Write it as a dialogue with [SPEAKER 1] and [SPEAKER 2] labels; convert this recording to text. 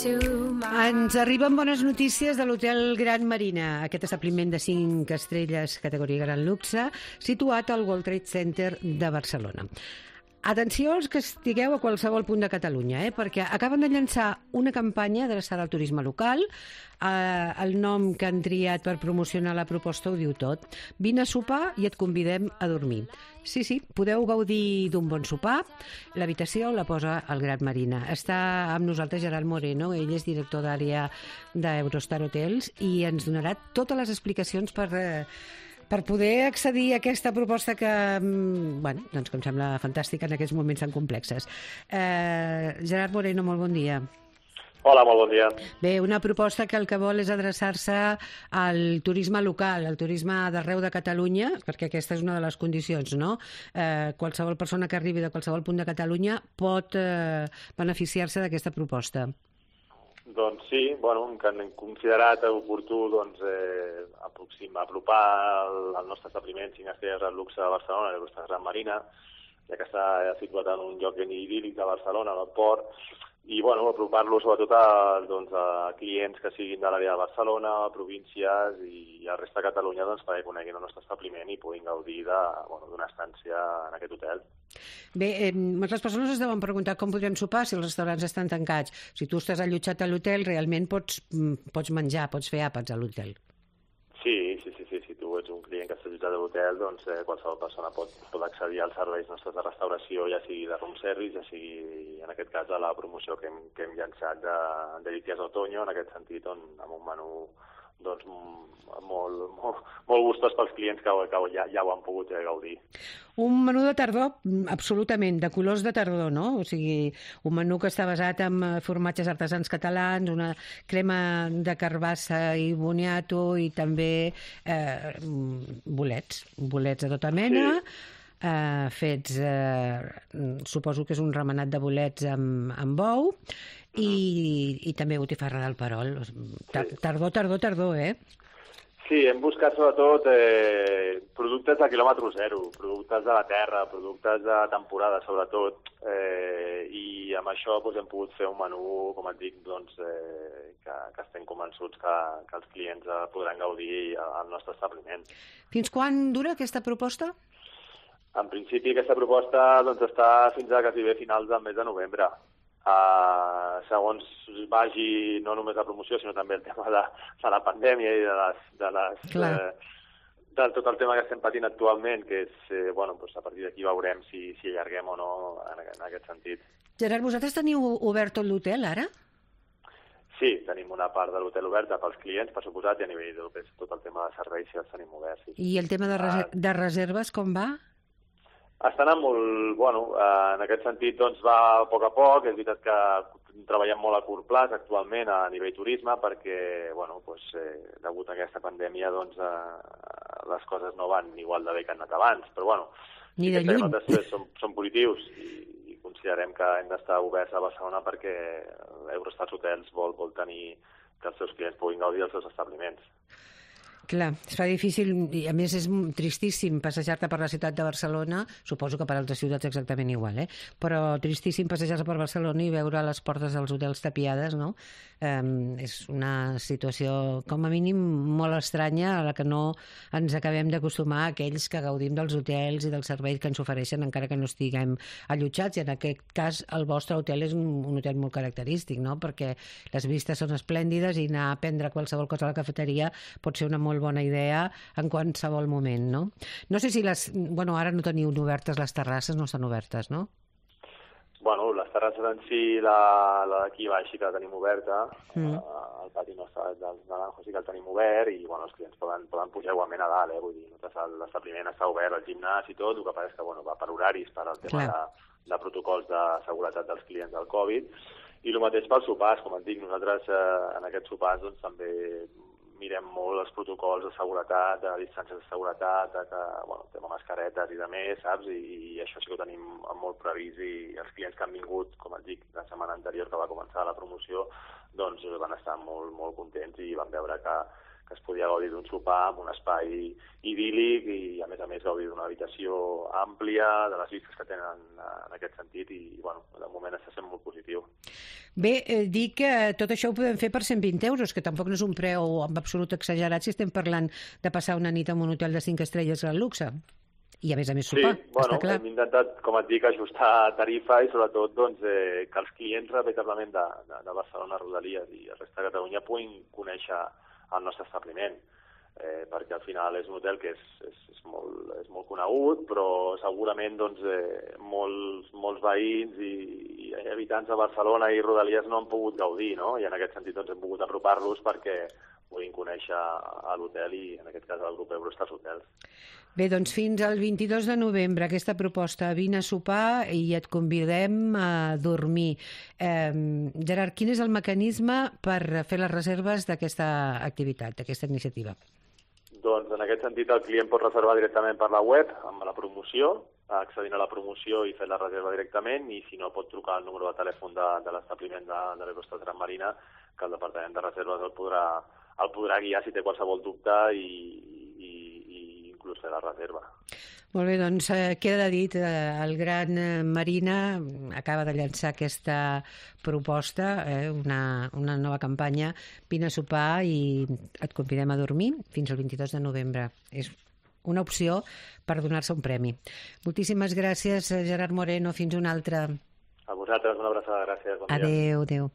[SPEAKER 1] Ens arriben bones notícies de l'Hotel Gran Marina, aquest establiment de 5 estrelles categoria Gran Luxe, situat al World Trade Center de Barcelona. Atenció als que estigueu a qualsevol punt de Catalunya, perquè acaben de llançar una campanya adreçada al turisme local. El nom que han triat per promocionar la proposta ho diu tot. Vine a sopar i et convidem a dormir. Sí, podeu gaudir d'un bon sopar. L'habitació la posa el Gran Marina. Està amb nosaltres Gerard Moreno, ell és director d'àrea d'Eurostar Hotels i ens donarà totes les explicacions per poder accedir a aquesta proposta que, doncs que em sembla fantàstica en aquests moments tan complexes. Gerard Moreno, molt bon dia.
[SPEAKER 2] Hola, molt bon dia.
[SPEAKER 1] Bé, una proposta que el que vol és adreçar-se al turisme local, al turisme d'arreu de Catalunya, perquè aquesta és una de les condicions, no? Qualsevol persona que arribi de qualsevol punt de Catalunya pot beneficiar-se d'aquesta proposta.
[SPEAKER 2] Doncs sí, que hem considerat oportú apropar el nostre establiment 5 estrelles al luxe de Barcelona, l'Eurostar Gran Marina, ja que està situat en un lloc ben idíl·lic de Barcelona, al port, i apropar-lo sobretot a clients que siguin de l'àrea de Barcelona, províncies i a la resta de Catalunya perquè coneguin el nostre establiment i puguin gaudir d'una estància en aquest hotel.
[SPEAKER 1] Bé, moltes persones es deuen preguntar com podrem sopar si els restaurants estan tancats. Si tu estàs allotjat a l'hotel, realment pots menjar, pots fer àpats a l'hotel.
[SPEAKER 2] Sí. Si tu ets un client que està allotjat a l'hotel, qualsevol persona pot accedir als serveis nostres de restauració, ja sigui de room service, ja sigui, en aquest cas, a la promoció que hem llançat de Delicias Otoño, en aquest sentit, amb un menú molt gustós pels clients que ja ho han pogut gaudir.
[SPEAKER 1] Un menú de tardor, absolutament, de colors de tardor, no? O sigui, un menú que està basat en formatges artesans catalans, una crema de carbassa i boniato i també bolets de tota mena, fets, suposo que és un remenat de bolets amb bou, i també botifarra del Perol. Tardor, eh?
[SPEAKER 2] Sí, hem buscat sobretot productes de quilòmetre zero, productes de la terra, productes de temporada sobretot, i amb això hem pogut fer un menú, com et dic, que estem convençuts que els clients podran gaudir al nostre establiment.
[SPEAKER 1] Fins quan dura aquesta proposta?
[SPEAKER 2] En principi aquesta proposta està fins a quasi finals del mes de novembre. Segons vagi no només la promoció, sinó també el tema de la pandèmia i de tot el tema que estem patint actualment, que és, a partir d'aquí veurem si allarguem o no en aquest sentit.
[SPEAKER 1] Gerard, vosaltres teniu obert tot l'hotel ara?
[SPEAKER 2] Sí, tenim una part de l'hotel oberta pels clients, per suposat, i a nivell del que és tot el tema de serveis sí els tenim oberts. Sí.
[SPEAKER 1] I el tema de reserves com va?
[SPEAKER 2] Està anant molt, en aquest sentit va a poc, és veritat que treballem molt a curt plaç actualment a nivell turisme perquè, degut a aquesta pandèmia, les coses no van igual de bé que han anat abans, però
[SPEAKER 1] ni de lluny.
[SPEAKER 2] Són positius i considerem que hem d'estar oberts a Barcelona perquè Eurostar Hotels vol tenir que els seus clients puguin gaudir dels seus establiments.
[SPEAKER 1] Clar, es fa difícil, i a més és tristíssim passejar-te per la ciutat de Barcelona, suposo que per altres ciutats exactament igual, però tristíssim passejar-se per Barcelona i veure les portes dels hotels tapiades, no? És una situació, com a mínim, molt estranya a la que no ens acabem d'acostumar aquells que gaudim dels hotels i dels serveis que ens ofereixen encara que no estiguem allotjats, i en aquest cas el vostre hotel és un hotel molt característic, no? Perquè les vistes són esplèndides i anar a prendre qualsevol cosa a la cafeteria pot ser una molt bona idea en qualsevol moment, no? No sé si ara no teniu obertes les terrasses, no estan obertes, no?
[SPEAKER 2] Les terrasses en si, la d'aquí baix sí que la tenim oberta, el pati nostre del Naranjo sí que el tenim obert i els clients poden pujar igualment a dalt, vull dir, l'establiment està obert, el gimnàs i tot, el que passa és que va per horaris, per al tema de protocols de seguretat dels clients del Covid, i el mateix pels sopars, com et dic, nosaltres en aquests sopars també mirem molt els protocols de seguretat, de distàncies de seguretat, tema mascaretes i de més, saps? I això sí que ho tenim molt previst i els clients que han vingut, com et dic, la setmana anterior que va començar la promoció, van estar molt, molt contents i van veure que que es podia gaudir d'un sopar amb un espai idíl·lic i, a més, gaudir d'una habitació àmplia, de les vistes que tenen en aquest sentit, i, bueno, de moment està sent molt positiu.
[SPEAKER 1] Bé, dic que tot això ho podem fer per 120 euros, que tampoc no és un preu en absolut exagerat si estem parlant de passar una nit en un hotel de 5 estrelles al luxe. I a més sopar,
[SPEAKER 2] sí, bueno,
[SPEAKER 1] està clar.
[SPEAKER 2] Hem intentat, com et dic, ajustar tarifa i sobretot doncs, que els clients veritablement de Barcelona, Rodalies i el reste de Catalunya puguin conèixer el nostre establiment, perquè al final és un hotel que és molt conegut, però segurament doncs, molts veïns i habitants de Barcelona i Rodalies no han pogut gaudir, no? I en aquest sentit doncs, hem pogut apropar-los perquè puguin conèixer l'hotel i, en aquest cas, el grup Eurostars Hotels.
[SPEAKER 1] Bé, doncs fins al 22 de novembre aquesta proposta, vine a sopar i et convidem a dormir. Gerard, quin és el mecanisme per fer les reserves d'aquesta activitat, d'aquesta iniciativa?
[SPEAKER 2] Doncs en aquest sentit el client pot reservar directament per la web amb la promoció, accedint a la promoció i fer la reserva directament, i si no pot trucar al número de telèfon de l'establiment de l'Eurostars Gran Marina, que el departament de reserves el podrà guiar si té qualsevol dubte i inclús fer la reserva.
[SPEAKER 1] Molt bé, doncs queda dit, el Gran Marina acaba de llançar aquesta proposta, una nova campanya, vine a sopar i et convidem a dormir fins al 22 de novembre. És una opció per donar-se un premi. Moltíssimes gràcies, Gerard Moreno. Fins una altra.
[SPEAKER 2] A vosaltres una abraçada. Gràcies. Bon dia.
[SPEAKER 1] Adéu.